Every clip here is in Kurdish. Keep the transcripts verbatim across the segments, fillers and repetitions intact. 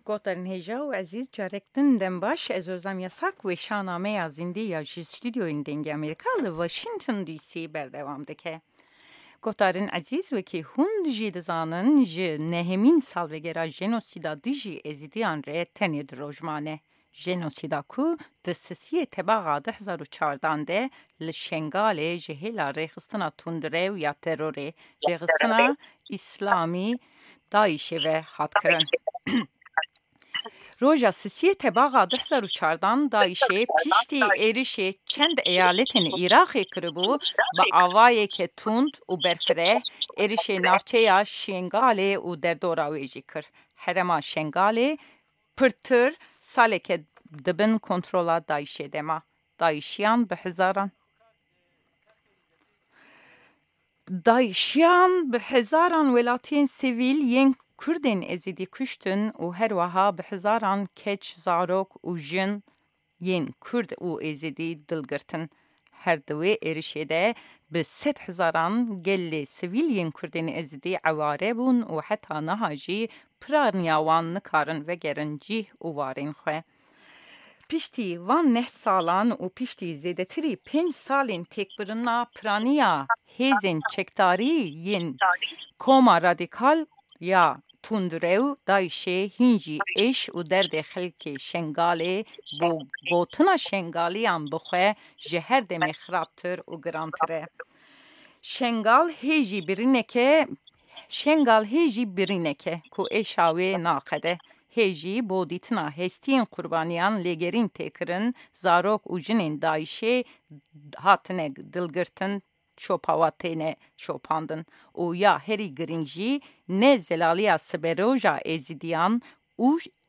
Gotarên hêja û ezîz, carek din dem baş. Ez Özlem Yasak, weşana me ya zindî ya ji stûdyoyên Dengê Amerîka li Washington D C berdewam dike. Gotarên ezîz, wekî hûn jî dizanin, ji nehemîn salvegera jenosîda dijî Êzidiyan re tenê du roj mane. Jenosîda ku di sisiyê Tebaxa du hezar û çardan de li Şengalê ji hêla rêxistina tundrew ya terorê, Rêxistina Îslamî, DAIŞê ve hat kirin. Roja sisiyê Tebaxa du hezar û çardan DAIŞê piştî êrişê çend eyaletên Iraqê kiribû, bi avayeke tund û berfireh êrişê navçeya Şengalê û derdora wê jî kir. Herêma Şengalê pirtir saleke di bin kontrola DAIŞê de ma. DAIŞiyan bi hezaran DAIŞiyan bi hezaran welatiyên sivîl yên Kurdên Êzidî kuştin û her wiha bi hezaran keç, zarok û jin yên Kurd û Êzidî dil girtin. Her di wê êrişê de bi sed hezaran gelê sivîl yên Kurdên Êzidî eware bûn û heta niha jî piraniya wan nikarin vegerin cîh û warên xwe. Piştî van neh salan û piştî zêdetirî pênc salên têkbirina piraniya hêzên çekdarî yên Koma Radîkal ya Tundrew, DAIŞê, hîn jî êş û derdê xelkê Şengalê bo gotina Şengaliyan bi xwe ji her demê xirabtir û girantir e. Şengal hê jî birîneke, Şengal hê jî birîneke ku êşa wê naqede. Hê jî bo dîtina hestiyên qurbaniyan lêgerîn tê kirin, zarok û jinên DAIŞê hatine dilgirtin, şopawa têne şopandin û ya herî girîng jî ne zelaliya siberoja Êzidiyan û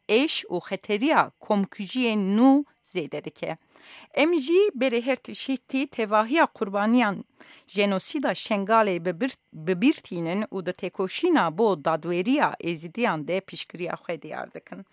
êş û xeteriya komkujiyên nû zêde dike. Em jî berê her tiştî tevahiya qurbaniyan jenosîda Şengalê bi bir, bi bîr tînin û di têkoşîna bo dadweriya Êzidiyan de piştgiriya xwe diyar dikin.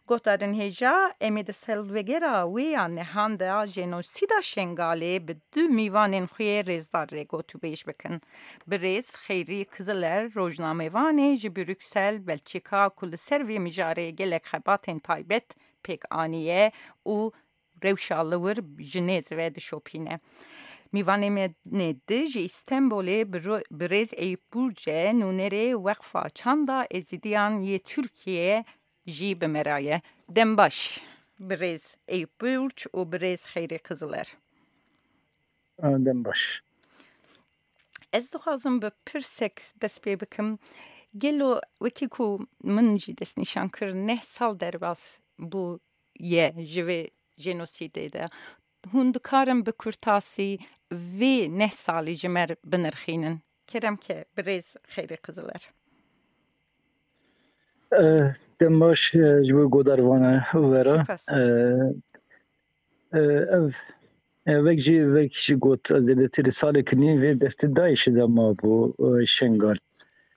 Gotarên hêja, em ê di salvegera wê ya nehan de jenosîda Şengalê bi du mîvanên xwe yê rêzdar re gotûbêj bikin. Birêz Xeyrî Kiziler, rojnamevanê ji Brûksel, Belçîka, ku li ser vê mijarê gelek xebatên taybet pêk aniye û rewşa li wir ji nêz ve dişopîne. Mîvanê me nê di ji Îstenbolê bi ro-, birêz Eyüp Burce, nûnerê Weqfa Çanda Êzidiyan yê Tirkiye jî bi me re ye. Dem baş, birêz Eyüp Burç û birêz Xeyrî Kiziler. Dem baş. Ez dixwazim bi pirsek dest pê bikim. Gelo wekî ku min jî destnîşan kir, neh sal derbas bû ye ji vê jenosîdê de. Hûn dikarin bi kurtasî vê neh salî ji me re binirxînin? Kerem ke, birêz Xeyrî Kiziler. Eh, dem baş, eh, ji bo godarvana vera. Spas. Eh, eh, ev, eh, vek jî, vek jî got, zêdetir salek nîv vê destê DAIŞê de mabû, eh, Şengal.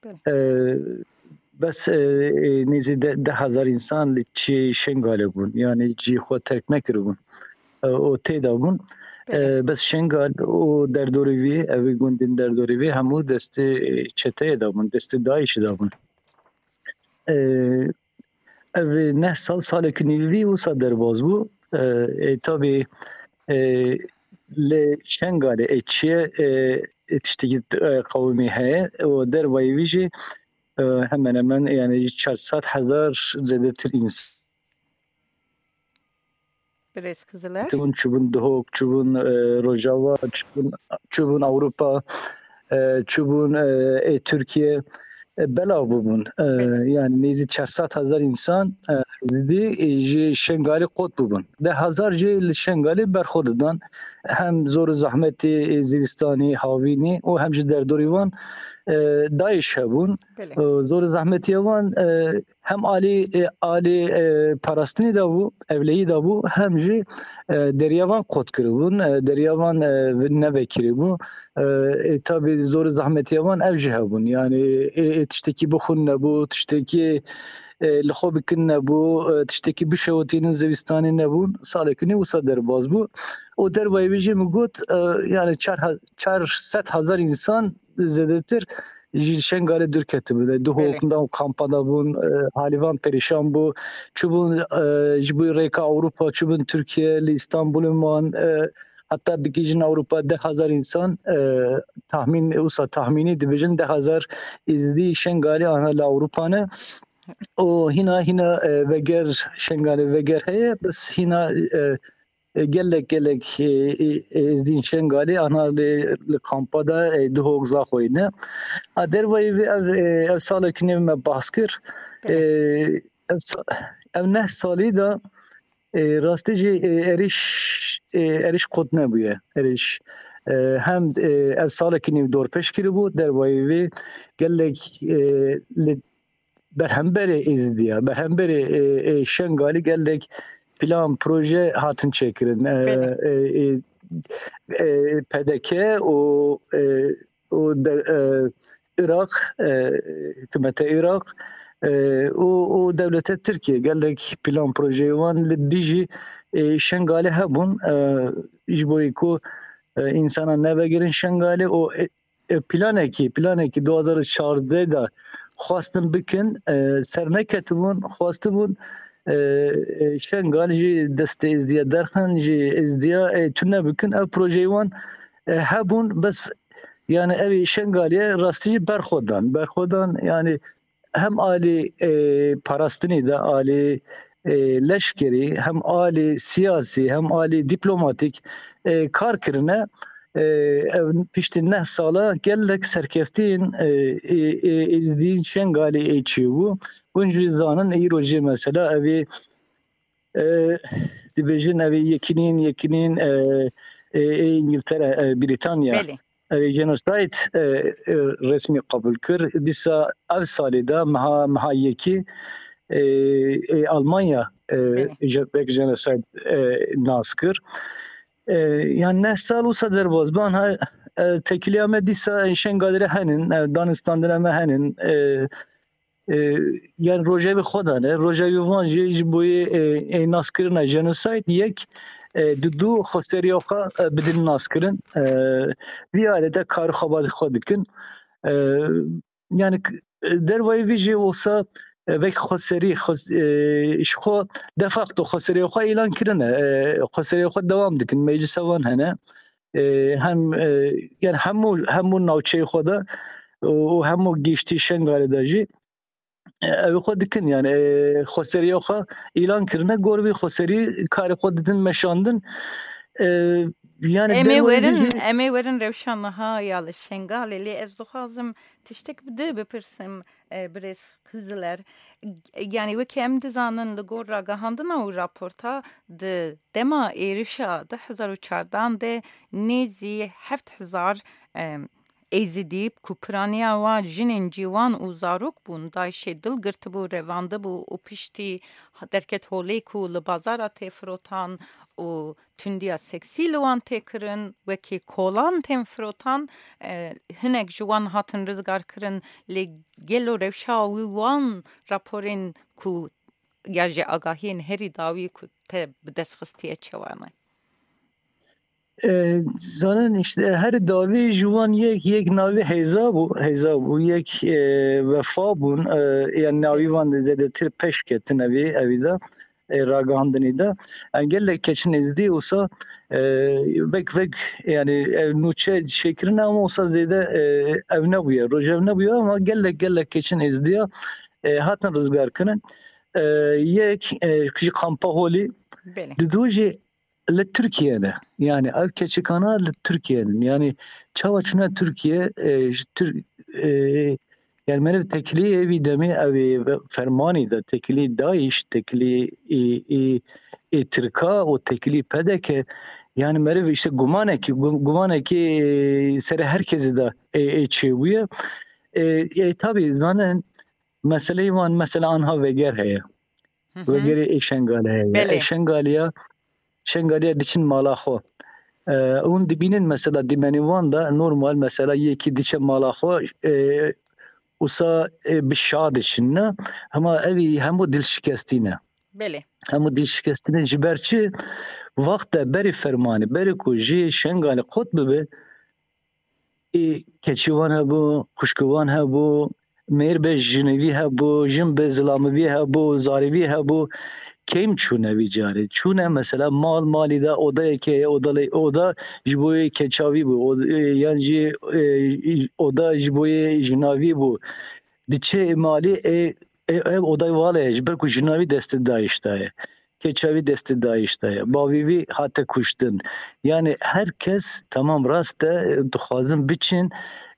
Belê. Eh, bes, eh, eh, nêzî de, deh hezar însan li çê Şengalê bûn. Yanî cî xwe terk nekiribûn. Eh, û tê de bûn. Belê. Eh, bes Şengal û derdorê wî, ev gundên derdorê wî hemû destê, eh, çeteyê de bûn, destê DAIŞê de bûn. Eh, ev neh sal, salek nîvî wisa derbas bû. Eh, eh, tabî, eh, li Şengalê, eh, çiye, eh, eh, tiştekî, eh, qewimî heye û dervayî wî jî, eh, hemen hemen, yani, çar sed hezar zêdetir însan Birêz Kiziler. Çûbûn, çûbûn Duhok, çûbûn, e, Rojava, çûbûn, çûbûn Ewropa, e, çûbûn, e, ê Tirkiye, e, belav bûbûn. E, Belê. Yani nêzî çar sed hezar însan, e, zîdî, e, ji Şengalê qot bûbûn. Deh hezar jî li Şengalê berxwe didan. Hem zor û zehmetê, e, zivistanî, havînî û hem ji derdorî wan, e, DAIŞ hebûn. Belê. E, zor û zehmetiya wan, e, hem alî, e, alî, e, parastinî de bû, ewleyî de bû, hem jî, e, deriya van qot kiribûn, e, deriya van, e, nevekirî bû. E, e, tabî zor û zehmetiya van ev jî hebûn. Yani, e, e, tiştekî bixwin nebû, tiştekî, e, li xwe bikin nebû, e, tiştekî bişewitînin zivistanê nebûn. Salekî nî wisa derbas bû. Û dervayî vê jî min got, e, yani çar he-, çar sed hezar însan zêdetir ji Şengalê dûr ketibûn. Duhok Belê. Nava kampa de bûn, e, halîvan perîşan bû. Çûbûn, e, ji bo rêka Ewropa, çûbûn Tirkiye, li Îstanbulê man, e, heta bigihîjin Ewropa deh hezar însan, e, tahmîn, wisa tahmînî dibêjin deh hezar Êzidî Şengalî ana li Ewropa ne. Û hîna, hîna, e, veger Şengalê veger heye, bes hîna, e, e, gelek, gelek, e, e, Êzdîn Şengalê ana li, li kampa de, e, Duhok Zaxoyê ne. A dervayî vê ev, e, ev salekî nêv me bahs kir. E, ev sa-, ev neh salî de, e, rastî jî, e, êrîş, e, êrîş qut nebûye. Êrîş, e, hem, e, ev salekî nêv dorpêç kiribû, dervayî vê gelek, e, li berhemberê Êzidiya, berhemberê, e, e, Şengalî gelek plan, proje hatin çêkirin. E, Belê. e, e, e, P D K û, e, û de, e, Iraq, e, hikûmeta Iraq, e, û, û dewleta Tirkiye gelek plan, projeyê wan li dijî, e, Şengalê hebûn, e, ji bo ku, e, însanan nevegerin Şengalê û, e, e, planekî, planekî du hazar û çardeh de xwestin bikin, e, ser neketibûn, xwestibûn, e, e, Şengal ji destê Êzdiya derxin, ji Êzdiya, e, tune bikin. Ev projeyê wan, e, hebûn, bes, yani, ev Şengaliye rastî jî berxwe dan. Berxwe dan, yani, hem alî, e, parastinî de, alî, e, leşkerî, hem alî siyasî, hem alî dîplomatîk, e, kar kirine. E, ev piştî neh sala gelek serkeftiyên, e, e, e, Êzdî Şengalê ê çêbû. Hûn jî zanin, îro jî mesela evê, e, dibêjin evê yekînîn, yekînîn, e, e, ê Îngiltere, e, Brîtanya. Belê. Ev ê genocide, e, e, resmî qebûl kir. Dîsa ev salê de meha, meha yekî, e, e, Almanya, e, Belê. je-, wek genocide, e, nas kir. E, yani neh sal wisa derbas ban ha, e, têkiliya me dîsa Şengalê re henin, e, danûstandina me henin, e, e, yani rojevê xwe de ne, rojevê wan jî ji bo yê, e, ê naskirina genocide yek, e, di du xweseriya xwe, e, bidin naskirin. E, vî alete kar û xebatê xwe dikin. E, yani k-, dervayî vî jî wisa, e, vek xweserî, xwes-, e, ji xwe de facto xweseriya xwe îlan kirine. E, xweseriya xwe dewam dikin. Meclisa wan hene. E, hem, e, yani hemû, hemû navçeyê xwe de û, û hemû giştî Şengalê de jî, e, ew xwe dikin, yani, e, xweseriya xwe îlan kirine, gor vî xweserî karê xwe didin meşandin. E, yani Em ê derweyî werin, jî em ê werin rewşa niha ya li Şengalê, lê ez dixwazim tiştek bi di bipirsim, e, birêz Qiziler. Yani wekî em dizanin li gor ragihandina û raporta di dema êrişa du hezar û çardan de nêzî heft hezar, e, Êzidî ku piraniya wan jinên ciwan û zarok bûn, DAIŞê dil girtibû, revandibû û piştî derket holê ku li bazara tê firotan û tundiya seksî li wan tê kirin, wekî kolan tên firotan, e, hinek ji wan hatin rizgar kirin, lê gelo rewşa wî wan raporên ku ya jî agahiyên herî dawî ku te bi dest xistiye çawa ne? E, zanin işte her dawî ji wan yek, yek navî Heyza bû, Heyza bû, yek, e, Wefa bûn, e, yani navî wan de zêdetir peş ketin evî, evî de, e, ragihandinî de. Yani gelek keçin Êzidî wisa, e, vek vek yani ev nûçe çêkirin ama wisa zêde, e, ev nebûye, rojev nebûye ama gelek gelek keçin Êzidiya, e, hatin rizgar kirin. E, yek, e, ji kampa holî, Belê. Di du jî li Tirkiye de, yani ev keçikana li Tirkiye de, yani çawa çûne Tirkiye, e, ji Tir-, e, yani meriv têkilî ê vî demê ew ê fermanî de, têkilî DAIŞ, têkilî ê, ê, ê Tirka û têkilî P D K, yani meriv işte gumanekî, gu-, gumanekî, e, serê her kesî de, e, e, çêbûye. E, e, tabî zanin meseleyê wan, mesela anha veger heye. Hı hı. Vegerê ê Şengalê heye. Belê. Ê Şengaliya, Şengaliya diçin mala xwe. E, hûn dibînin mesela dîmenê wan de normal mesela yekî diçe mala xwe, e, wisa, e, bi şa diçin ne. Hema evî hemû dilşikestî ne. Belê. Hemû dilşikestî ne ji ber çi? Wexte berî fermanê, berî ku jê Şengalê qut bibe, ê keçî wan hebû, xwişkî wan hebû, mêr be jinivî hebû, jin be zilamivî hebû, zarivî hebû. Kêm çûne vî carê? Çûne mesela mal malî de odayekê heye, oda lê, oda ji bo yê keçavî bû, od-, e, yan jî, e, oda ji bo yê jinavî bû. Diçe malî, e, e, ev odayê wale ye, ji ber ku jinavî destê DAIŞ de ye. Keçavî destê DAIŞ de ye. Bavî vî hate kuştin. Yani her kes, tamam, rast e, dixwazin biçin,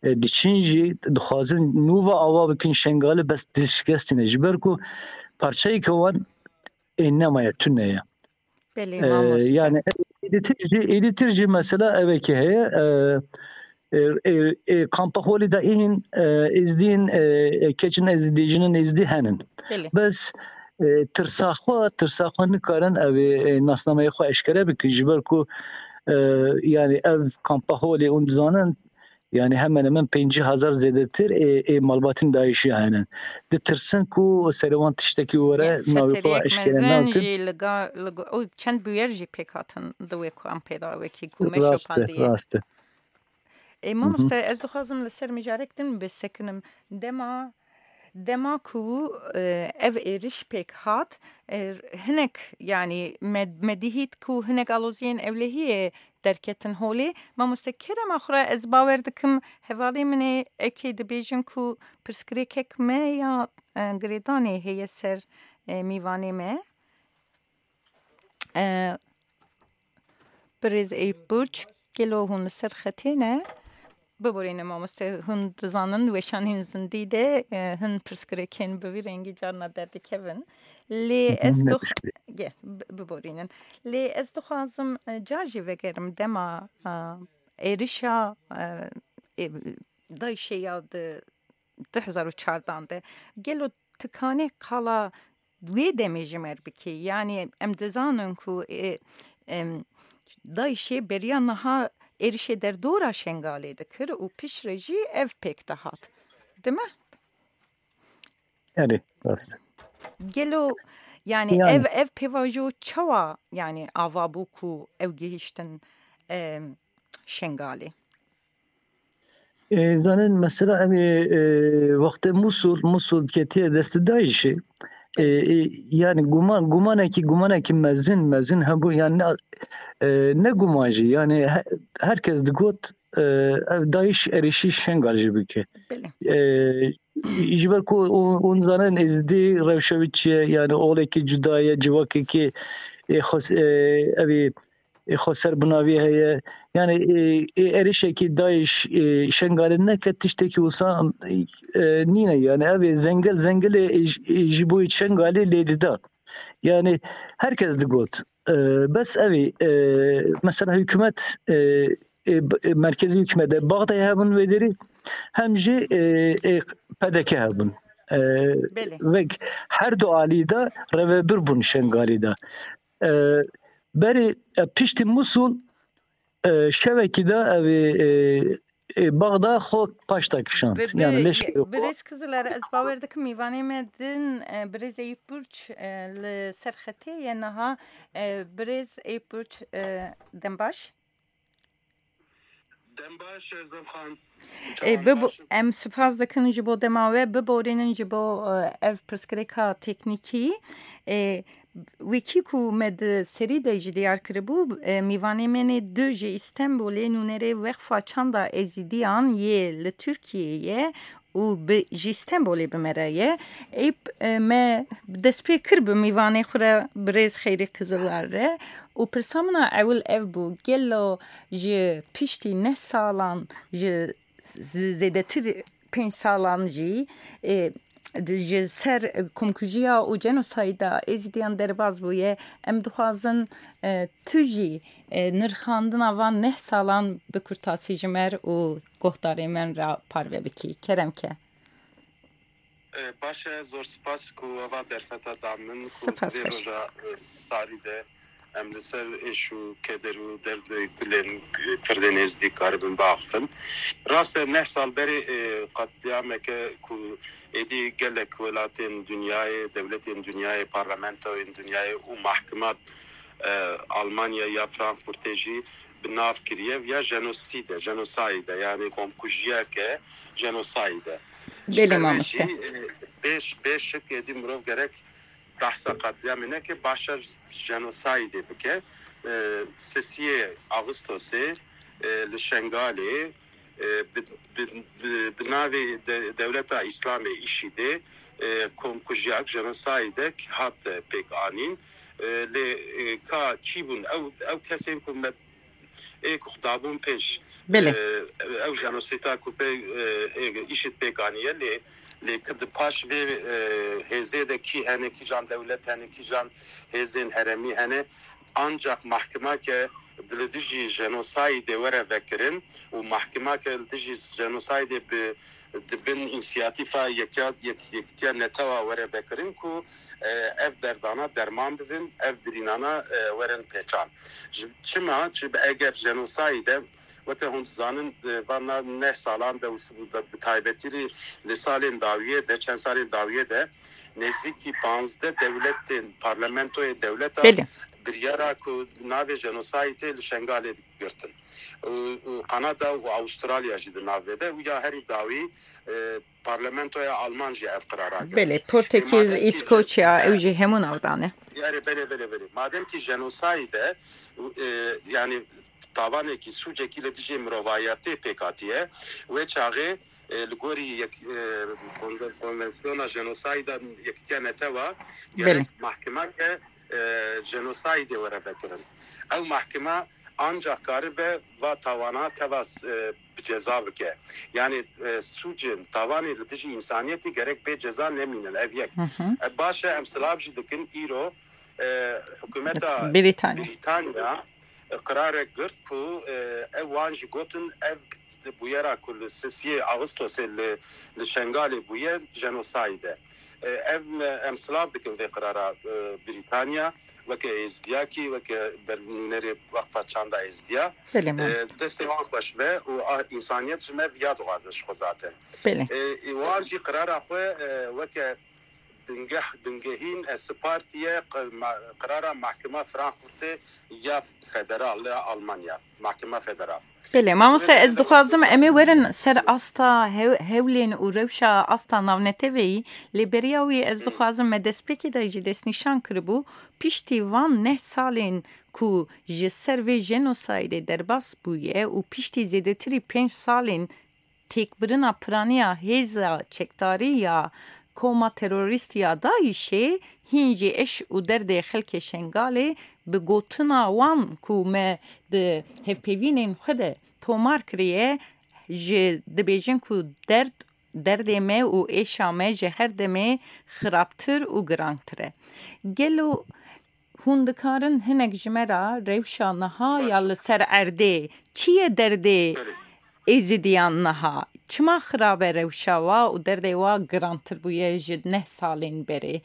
e, diçin jî, dixwazin nû ve ava bikin Şengalê, bes dil şikestîne. Ji ber ku parçeyeke wan ê nemaye, tune ye. Belê, Ee, mamoste. Yani êdîtir jî, êdîtir jî mesela evekê heye, e, e, e, e, kampa holî de îhîn, e, êzdîn, e, e, keçin êzdî, jinin êzdî henin. Belê. Bes, e, tirsa xwe, tirsa xwe nikarin ev ê, e, nasnameyê xwe eşkere bikin, ji ber ku, e, yani ev kampa holê hûn dizanin, yani hemen hemen pêncî hezar zêdetir ê, ê malbatên DAIŞ'î hene. Ditirsin ku serê wan tiştekî were, ya, navê xwe xeteriyek eşkere mezin nakin. Jî li ga-, li go-, û çend bûyer jî pêk hatin di wê kampê de, wekî ku me şopandiye. Rast e, rast e. Ê, Hı hı. Mamoste, ez dixwazim li ser mijarek din bisekinim. Dema, dema ku, e, ev êriş pêk hat, e, hinek, yani me, me dihît ku hinek aloziyên ewlehiyê derketin holê. Mamoste, kerema xwe re, ez bawer dikim hevalê min ê, ekê dibêjin ku pirsgirêkek me ya, e, girêdanê heye ser, e, mîvanê me. E, Birêz Eyüp Burç, gelo hûn li ser xetê ne? Biborîne mamoste, hûn dizanin weşanên zindî de, e, hin pirsgirêkên bi vî rengî carna derdikevin. Lê Hı hı, ez ne dox-, pirsgirêk. Ge, bi-, biborînin. Lê ez dixwazim, e, car jî vegerim dema, e, êrişa, e, e, DAIŞ'ê ya di du hezar û çardan de. Gelo tu kanê qala wê demê ji me re bikî? Yani em dizanin ku, e, em, DAIŞ'ê beriya niha êrişê derdora Şengalê dikir û piştre jî ev pêk dihat. Dime? Erê, rast e. Gelo, yani Yani. ev, ev pêvajo çawa, yani ava bû ku ew gihiştin, em, Şengalê? E, zanin mesela em ê, e, wextê Musul, Musul ketiye destê DAIŞ'ê. E, e, yani guman, gumanekî, gumanekî mezin, mezin hebû, yani ne, e, ne guman jî, yani he-, herkes digot, e, ev DAIŞ êrişî Şengal jî bike. Belê. E, ji ber ku hûn, hûn zanin Êzidî rewşe wî çi ye, yani olekî cuda ye, civakekî, e, xwes-, e, evî ê xweser bi navî heye. Yani, ê, ê êrişekî DAIŞ, ê, Şengalê neke tiştekî wisa, e, nîne. Yani, ev ê zengil, zengilê, ê, j-, ê, ji bo Şengalê lê dida. Yani, herkes digot. E, bes ev ê, e, mesela hikûmet, e, e, b-, e, merkezî hikûmet e, Baxdayê hebûn wê derî, hem jî, e, e, P D K hebûn. E, Belê. Vek her du alî de revebir bûn Şengalê de. E, berê, e, piştî Musul, e, şevekî de ev ê, e, e, Baxda xwe paşta kişand. Bi, bi, Yani leşkerê ye-, xwe. Birêz Kiziler, ez bawer dikim mîvanê me din, e, birêz Eyüp Burç, e, li ser xetê ye niha. E, birêz Eyüp Burç, e, dem baş. Dem baş, Erzan Xan. E, Çawan bibo-, baş in? Em spas dikin ji bo dema we, biborînin ji bo, e, ev pirsgirêka teknîkî. E, wekî ku me di serî de jî diyar kiribû, e, mîvanê me nê du ji Îstenbulê nûnerê Wexfa Çanda Êzidiyan yê li Tirkiyeyê ye û bi, ji Stenbolê bi me re ye. Ê, e, me destpê kir bi mîvanê xwe re, birêz Xeyrî Kizilar re û pirsa min a ewil ev bû, gelo ji piştî neh salan, ji z-, zêdetir pênc salan jî, e, di, ji ser, e, komkujiya û cenosayda Êzidiyan derbas bûye, em dixwazin, e, tu jî, e, nirxandina van neh salan bikurtasî ji me re û guhdarê me re parve bikî. Kerem ke. E, baş e, zor spas ku eva derfeta da min, ku Spas vê xweş. roja, e, tarî de em li ser êş û keder û derdê gulên, e, Kirdên Êzdî karibin biaxifin. Rast e, neh sal berê, e, qetlîameke ku êdî gelek welatên dinyayê, dewletên dinyayê, parlamentoyên dinyayê û mahkimat, e, Almanya ya Frankfurtê jî bi nav kiriye ya jenosîde, jenosayîde, yani komkujiyeke jenosayîde. Belê mamoste. Bê, bê şik êdî mirov gerek behsa qetlîamê neke, başa jenosayîdê bike. E, sisiyê Ağustosê, e, li Şengalê, e, bi, bi, bi, bi navê de, Dewleta Îslamê, îşîdê, e, komkujiyek, jenosayîdek hat pêk anîn. E, lê, e, ka kî bûn? Ew, ew kesên ku me ê ku dabûn pêş, Belê. e, ew jenosîta ku pê, e, ê, îşîd pêk aniye, lê, lê ki di paş vê, e, hêzê de kî hene, kîjan dewlet hene, kîjan hêzên herêmî hene, ancak mahkimake li dijî jenosayîdê were vekirin û mahkimake li dijî jenosayîdê bi, di bin însiyatîfa yekya-, yek-, yekitiya netewa were vekirin ku, e, ev derdana derman bibin, ev birînana, e, werin pêçan. Ji, çima? Çi be eger jenosayîde, weke hûn dizanin, e, vana neh salan de û s-, bi, bi taybetî rî li salên dawiyê de, çend salên dawiyê de, nêzîkî panzdeh dewletên, parlamentoyê dewleta Belê. biryara ku navê jenosayîdê li Şengalê girtin. Û, û Kanada û Avustralya jî di nav vê de û ya herî dawî, e, parlamentoya Alman jî ev qirara girt. Belê, Portekiz, Madem ki Îskoçya, je-, ew jî hemû navdane. Yani belê, belê, belê. Madem ki jenosayîde, e, yani tavanekî, sûcekî li dijî mirovayetê pêk hatiye, wê çaxê, e, li gorî yek, e, konve-, konvansiyona jenosayîda Yekîtiya Netewa, Belê. gerek mahkimeke, e, jenosayîdê were vekirin. Ew mahkime ancak karibe va tawana teva, e, bi ceza bike. Yani, e, sûcên, tavanê li dijî însaniyetî gerek bê ceza nemînin. Ev yek. Hı hı. E, baş e, em silav jî dikin îro, e, hikûmeta Brîtanya. Brîtanya, e, qirarek girt ku, e, ev wan jî gotin, ev bûyera ku li sisiyê Ağustosê li, li Şengalê bûye, jenosayîd e. E, ev me, em silav dikin vê qirara, e, Brîtanya, weke Êzdiyakî, weke ber-, nûnerê Weqfa Çanda Êzdiya. Belê, E, mamoste. destê wan xweş be û a, însaniyet ji me viya dixwaze ji xwe zaten. Belê. E, wan jî qirara xwe, e, weke bingeh, bingehîn, e, sipartiye qi-, ma-, qirara Mahkema Frankfurtê ya federal, ya Almanya. Mahkema Federal. Belê, mamoste, ez dixwazim em ê werin ser asta hew-, hewlên û rewşa asta navneteweyî, lê beriya wî ez dixwazim me destpêkê de jî destnîşan kiribû, piştî van neh salên ku ji ser vê jenosaydê derbas bûye û piştî zêdetirî pênc salên têkbirina piraniya hêza çekdarî ya koma terorîst ya DAIŞê, hîn jî eş û derdê xelkê Şengalê, bi gotina wan ku me di hevpeyvînên xwe de tomar kiriye, ji dibêjin ku derd, derdê me û êşa me ji her demê xirabtir û girantir e. Gelo hûn dikarin hinek ji me re rewşa niha ya li ser erdê çi ye derdê Êzidiyan niha? Çima xirab e rewşa wa û derdê wa girantir bûye ji neh salên berê?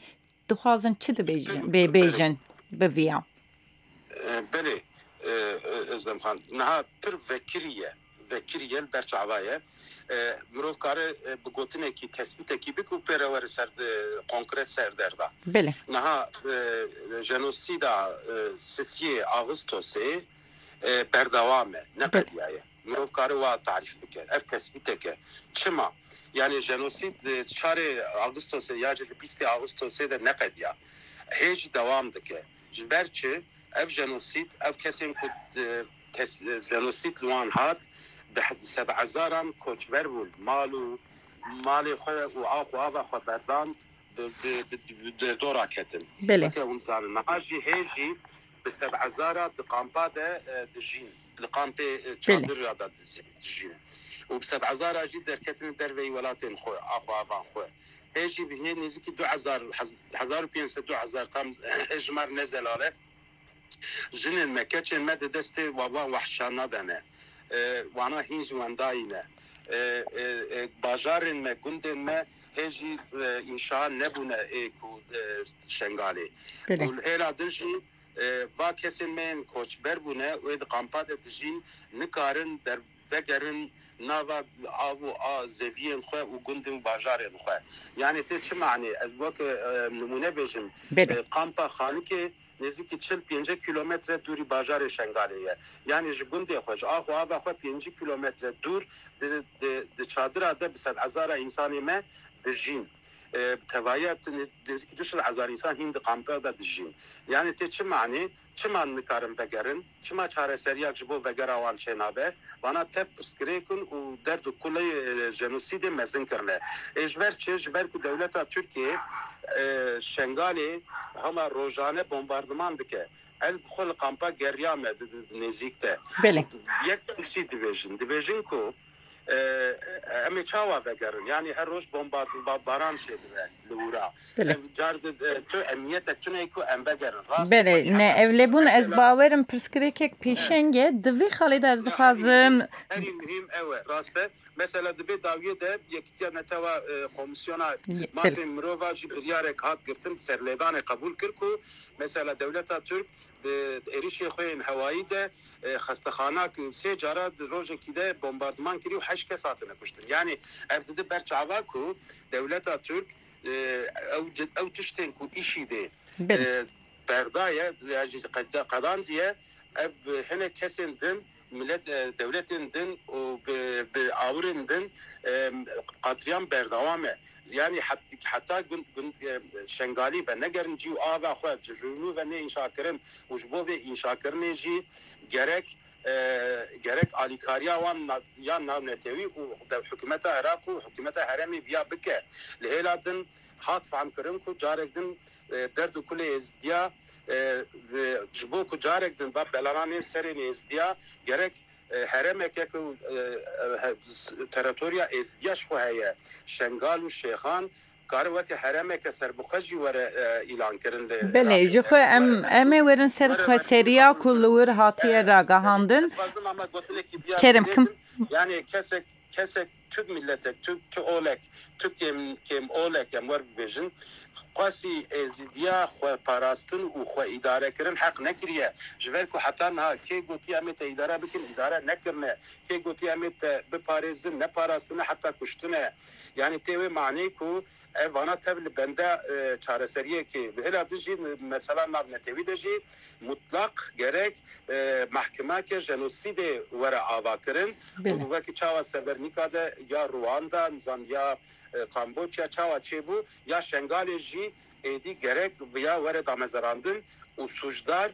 Dixwazin çi dibêjin, bê bêjin bi viya? E, belê, e, e, Özlem Xan, niha pir vekirî ye. Vekirî ye, li ber çava ye. E, mirov kare, e, bi gotinekî, tespîtekî bike û pê re were ser de, konkret ser derda. Belê. Niha, e, jenosîda, e, sisiyê Ağustosê, e, berdewam e, Belê. neqediyaye. Mirov kare wa tarîf bike. Ev tespîtek e. Çima? Yani jenosîd, e, çarê Ağustosê ya jî li bîstê Ağustosê de neqediya. Hê jî dewam dike. Ji ber çi? Ev jenosîd, ev kesên ku, e, tes-, e, jenosîd li wan hat, bi he-, bi sedhezaran koçber bûn. Mal û malê xwe û ax û ava xwe berdan, bi, bi, bi, bi derdora ketin. Belê. Weke hûn zanin. Niha jî hê jî bi sedhezara di kampa de, e, dijîn. Li kampê, e, Belê. çadir ya de dijîn, dijîn. Û bi sedhezara jî derketin derveyî welatên xwe, ax û avan xwe. Hê jî bi hê nêzîkî du hezar, hez-, hezar û pênc sed, du hezar tam, e, hejmar ne zelal e. Jinên me, keçên me di destê wa-, wan wehşana de ne. E, wana hîn ji wendayî ne. E, e, e, bajarên me, gundên me hê jî, e, înşa nebûne ê ku, e, Şengalê. Belê. Û li hêla din jî, e, va kesên me yên koçber bûne û ê di kampa de dijîn, nikarin der-, vegerin nava av û a zeviyên xwe û gundên û bajarên xwe. Yani tê çi manê? Ez weke, e, nimûne bêjim. Belê. E, kampa Xanikê nêzîkî çil pêncî kilometre dûrî bajarê Şengalê ye. Yani ji gundê xwe, ji ax û ava xwe pêncî kilometre dûr di, di, di çadira de bi sedhezara însanê me dijîn. E, bi tevahiya nêzîkî du sed hezar însan hîn di kampa de dijîn. Yani tê çi manê? Çima nikarin vegerin? Çima çareseriyak ji bo vegera wan çênabe? Vana tev pirsgirêk in û derd û kulê, e, jenosîdê mezin kirine. Ê ji ber çi? Ji ber ku dewleta Tirkiyê, e, Şengalê hema rojane bombardiman dike. El bi xwe li kampa geriya me di, di, di nêzîk de. Belê. Yek tiştî dibêjin. Dibêjin ku, e, em ê çawa vegerin? Yani her roj bombardiman çêdibe li wira. Belê. Ev car di, e, tu emniyetek tune ku em vegerin. Rast Belê, e, ne, ev lê bûn ez mesela bawerim pirsgirêkek pêşeng e. Di vê xalê de ez Ya, dixwazim herî muhîm, herî muhîm ew e. Rast e. Mesela di vê dawiyê de Yekîtiya Netewa, e, Komîsyona Ye- Mafên Mirova jî biryarek hat girtin, serlêdanê qebûl kir ku mesela dewleta Tirk di êrişê xwe yên hewayî de, e, xestexana ki sê cara di rojekî de bombardiman kirî û heşt kes hatine kuştin. Yani ev dide ber çava ku dewleta Tirk, e, ew, ew tiştên ku îşî dê, Belê. e, berdaye, yani qeda-, qedandiye, ev hinek kesên din, millet, e, dewletên din û bi, bi awirên din, e, qatliam berdewam e. Yani het-, heta gund, gund, e, Şengalî ve negerin cî û ava xwe, ji rûnû ve nêînşakirin û ji bo vê înşakirinê jî gerek, e, gerek alîkariya wan na-, ya navnetewî û dev-, hikûmeta Iraq û hikûmeta herêmê viya bike. Li hêla din hat fehmkirin ku carek din, e, derd û kulê êzdiya, e, ve ji bo ku carek din va belananên serê êzdiya gerek, e, herêmeke ku, e, e, he-, s-, teritoriya êzdiya ji xwe heye, Şengal û Şêxan, kare weke herêmeke serbixwe jî were, e, îlan kirin li Belê, Iraqê. ji xwe em, Were em ê werin ser were xweseriya ku li wir hatiye E, ragihandin. ez dixwazim ama gotinekî biya Kerem kim? bêjim. Yani kesek, kesek, tu miletek, tu, tu olek, tu kêm, kêm olek em wer bibêjin. Qasî êzidiya xwe parastin û xwe îdare kirin heq nekiriye. Ji ber ku heta niha kê gotiye em ê te îdare bikin, îdare nekirine. Kê gotiye em ê te biparêzin, neparastine heta kuştine. Yani tê wê maneyê ku ev vana tev li benda, e, çareseriyekê. Li hêla din jî mesela navnetewî de jî mutlaq gerek, e, mehkimeke jenosîdê were avakirin. Belê. Û wekî çawa Severnika de ya Rwanda, nizam ya, e, Kamboçya çawa çêbû, ya Şengalê jî êdî gerek ya were damezerandin û sûcdar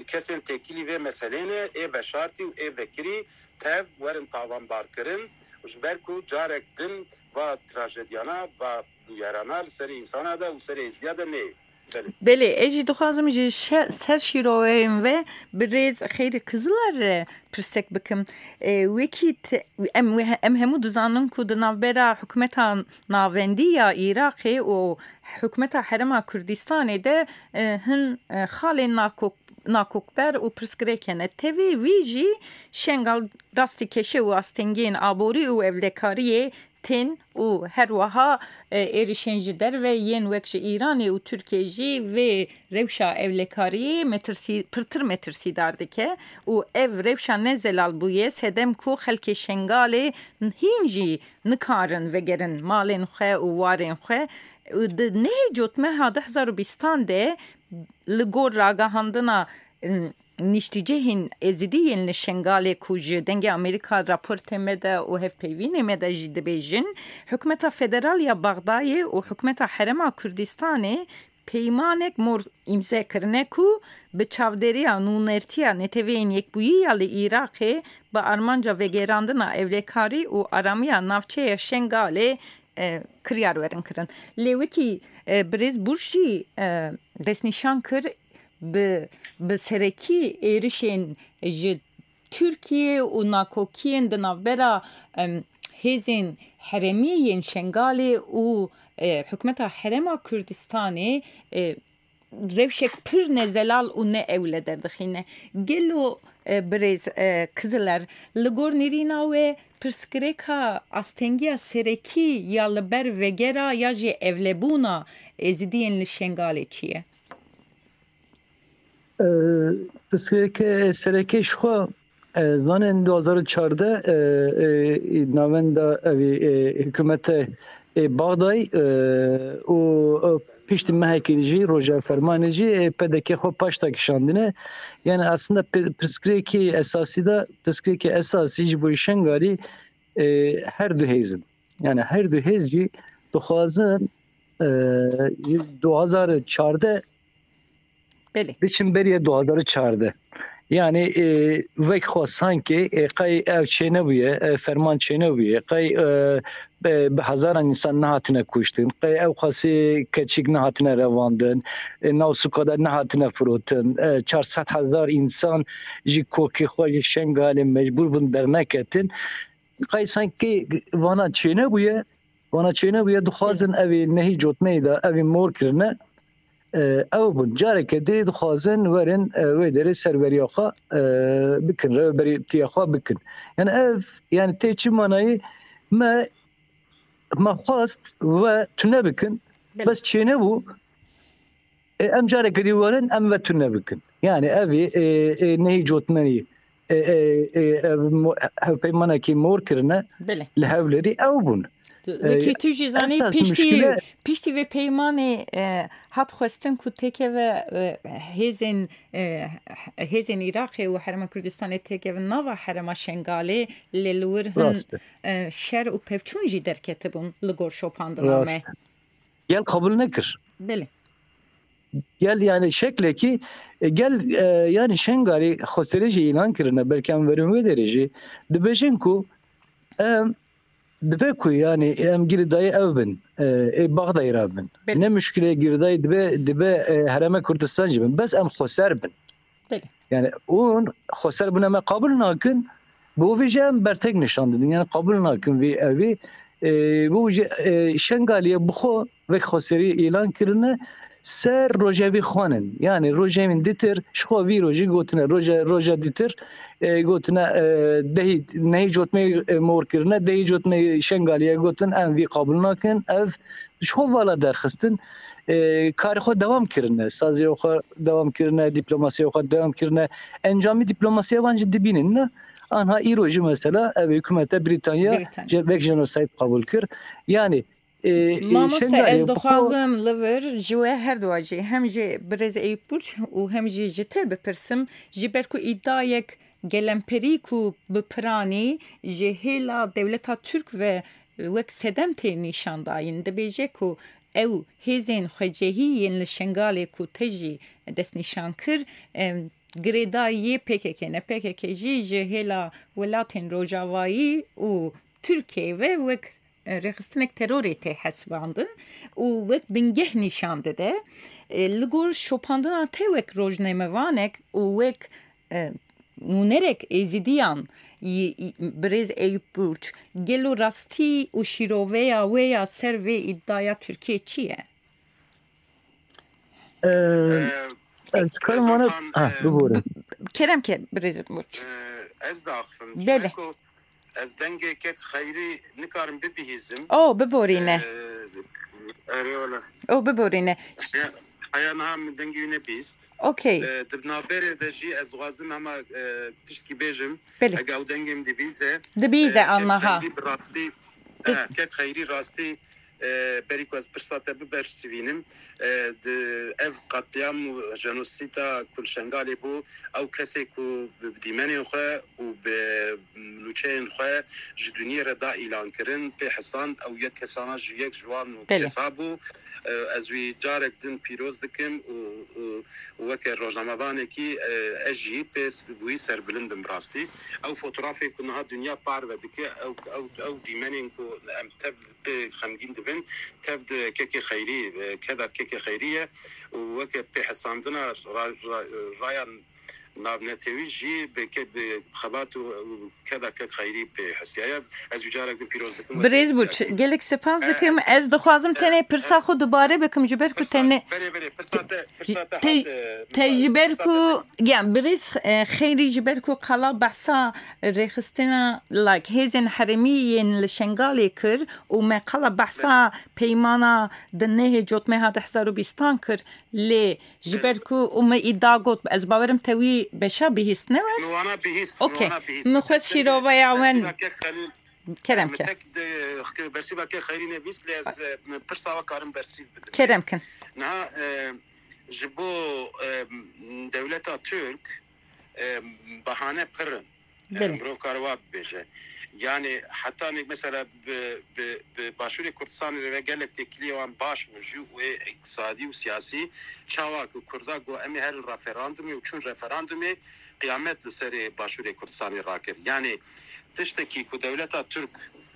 kesên têkilî vê meselê ne, ê veşartî û ê vekirî tev werin tawanbarkirin. Ji ber ku carek din va trajediyana, va bûyerana li serê însana de û serê êzdiya de neyê. Belê. Belê, ez jî dixwazim ji şe-, ser şîroveyên ve birêz Xeyrî Kiziler re pirsek bikim. E, wekî te-, em, em hemû dizanin ku di navbera hikûmeta navendî ya Iraqê û hikûmeta Herêma Kurdistanê de, e, hin, e, xalên nakok-, nakokber û pirsgirêk hene. Tevî wî jî Şengal rastî keşe û astengiyên aborî û ewlekariyê tên û her wiha, e, êrişên ji derve yên wek ji Îranê û Tirkiyê jî vê rewşa ewlekariyê metirsî-, pirtir metirsîdar dike û ev rewşa ne zelal bûye sedem ku xelkê Şengalê hîn jî nikarin vegerin malên xwe û warên xwe. Di nehê Cotmeha du hezar û bîstan de li gor ragihandina, n-, niştîcihên Êzidî yên li Şengalê ku ji Dengê Amerîka raportê me de û hevpeyvînê me de jî dibêjin, hikûmeta federal ya Bexdayê û hikûmeta Herêma Kurdistanê peymanek mor îmze kirine ku bi çavdêriya nûnertiya Neteweyên Yekbûyî ya li Iraqê bi armanca vegerandina ewlekarî û aramiya navçeya Şengalê, e, kiryar werin kirin. Lê wekî, e, birêz Burj jî, e, destnîşan kir, bi, bi serekî êrişên ji Tirkiye û nakokiyên di navbera, em, hêzên herêmî yên Şengalê û, e, hikûmeta Herêma Kurdistanê, e, rewşek pir nezelal û ne ewle derdixîne. Gelo, e, birêz, e, Kiziler, li gor nêrîna we pirsgirêka astengiya serekî ya li ber vegera ya jî ewlebûna Êzidiyên li Şengalê çi ye? E, pirsgirêke serekê ji xwe E, zanên du hazar û çardeh, e, e, navenda evî, e, hikûmete, e, Baxdayê, e, û, e, piştî mehekî jî roja fermanê jî, e, P D K xwe paşta kişandine. Yani aslında pi-, pirsgirêkê esasî de, pirsgirêkê esasî ji bo Şengalî, e, her du hêz in. Yani her du hêz jî dixwazin, e, ji du hazar û çardeh Belê. Biçin beriye du hazar û çardeh. Yani, e, wek xwe sanki, e, qey ev çênebûye, e, ferman çênebûye, qey, e, be-, bi hezaran insan nehatine kuştin, qey ew qasî keçik nehatine revandin, e, nav sûka de nehatine firotin, e, çar sed hezar insan ji kokê xwe, ji Şengalê mecbûr bûn derneketin. Qey sanki vana çênebûye, vana çênebûye, dixwazin evê nehî cotmeyê de evê mor kirine, e, ew bûn. Careke dê dixwazin werin, e, wê derê serweriya xwe, e, bikin, rêberîtiya xwe bikin. Yani ev, yani tê çi manayê me, me xwest we tune bikin, Belê. Bes çênebû, e, em careke dî werin, em ve tune bikin. Yani evê, e, e, nehî cotmenî, e, e, e, ev mo-, hevpeymanekî mor kirine Belê. Li Hewlêrî ew bûn. Wekî tu jî zanî, esas piştî, muşkile piştî vê peymanê, e, hat xwestin ku têkeve, e, hêzên, e, hêzên Iraqê û Herêma Kurdistanê têkevin nava Herêma Şengalê, lê li wir hin, Rast e. E, şer û pevçûn jî derketibûn li gor şopandina Rast me. E. Gel qebûl nekir. Belê. Gel yani şeklekî, e, gel, e, yani Şengalê xweserê jî îlan kirine, belkî em werin wê derê jî. Dibêjin ku em, dibe ku yani em girêdayî ev bin, e, ê Baxdayê re bin. Belê. Ne muşkilê girêdayî dibe, dibe, e, Herêma Kurdistan jî bin. Bes em xweser bin. Belê. Yani hûn xweser bûne me qebûl nakin, bo vê jî em bertek nîşan didin. Yani qebûl nakin vê evî, e, bo vê jî, e, Şengaliyê bi xwe wek xweserî îlan kirine ser rojevî xwanin. Yani rojevîn dîtir, ji xwe vî rojî gotine, roje-, roja dîtir, e, gotine, e, dehî, nehî cotmeyê, e, mor kirine, dehî cotmeyê Şengaliyê gotin, em vî qebûl nakin, ev ji xwe vala derxistin, e, karê xwe dewam kirine, saziya xwe dewam kirine, diplomasiya xwe dewam kirine. Encamî diplomasiya van jî dibînin, ne? Anha îro jî mesela ev hikûmete Brîtanya Brîtanya. Je-, vek jenosayd qebûl kir. Yani, e, e, Mamoste, Şengalê ez bi xwe dixwazim li vir ji we her dua jî, hem jî birêz Eyüp Burç û hem jî ji te bipirsim, ji ber ku îdayek gelemperî ku bi piranî ji hêla dewleta Tirk ve wek sedem tê nîşandayîn, dibêje ku ew hêzên xwecihî yên li Şengalê ku te jî destnîşan kir, em, girêdayî yê P K K ne. P K K jî ji hêla welatên Rojavayî û Tirkiyeyê ve wek, e, rêxistinek terorê tê hesibandin û wek bingeh nîşan dide. E, li gor şopandina te wek rojnamevanek û wek, e, nûnerek êzidiyan, y-, y-, birêz Eyüp Burç, gelo rastî û şîroveya wê ya ser vê îdaya Tirkiye çi ye? Ee, Ee, ez karim ez vana, Hakan, ha, e, bibore. Kerem ke, birêz Burç. E, ez de axifim. Belê. Çunku ez dengê kek Xeyrî nikarim bibihîzim. O, biborîne. E, erê wala. O, biborîne. Heya, heya niha min dengê wî nebîst. Okey. E, di navberê de jî ez dixwazim hema, e, tiştkî bêjim. Belê. Ege ew dengê min dibîze, Dibîze, e, kek annaha. Xeyrî bi rastî, Di- e, kek Xeyrî rastî, e, berî ku ez pirsa te bibersivînim, e, di ev qetlîam û jenosîda ku li Şengalê bû, ew kesê ku bi dîmenên xwe û bi nûçeyên xwe ji dinyê re da îlankirin, pê hesand, ew yek kesana ji yek ji wan Belê. Kesa bû. E, ez wî carek din pîroz dikim û, û weke rojnamevanekî, e, ez jî pê s-, bi wî serbilind im rastî. Ew fotografên ku niha dinya parve dike, ew, ew, ew dîmenên ku em tev pê xemgîn dibin, tev di kekê Xeyrî, e, keda kekê Xeyrî ye û weke pêhesandina ra-, ra-, raya navnetewî jî bi ke-, bi xebat û, û keda kek Xeyrî pê hesiyaye. Ez wî carek din pîroz dikim. Birêz Burç, gelek spas dikim. Ez dixwazim tenê pirsa xwe dubare bikim, ji ber ku tenê Berê, berê, pirsa te, pirsa te te, hat, e, te ji ber pirsa ku, te ya, birêz, e, Xeyrî ji ber ku qala behsa rêxistina, like, hêzên herêmî yên li Şengalê kir û me qala behsa Belê. Peymana di nehê cotmê ha du hezar û bîstan kir, lê ji Belê. Ber ku û me îda got, ez bawerim te wî beşa bihîst ne we? Min wana bihîst. Okey. Min wana bihîst. Min xwest şîrova ya wen. Bersîva ke xelî. Kerem Min ke. Tek de, bersîva ke xelî ne bîst lê ez, e, min pirsa we karim bersîv bidim. Kerem kin. Niha, e, ji bo, e, dewleta Tirk, e, bahane pir in. E, Belê. Mirov kare wa bibêje. Yani heta nek mesela bi, bi, bi Başûrê Kurdistanê re gelek têkiliyê wan baş bû jî wê îktisadî û siyasî. Çawa ku Kurda got em ê herin referandumê û çûn referandumê, qiyamet li serê Başûrê Kurdistanê rakir. Yani tiştekî ku dewleta Tirk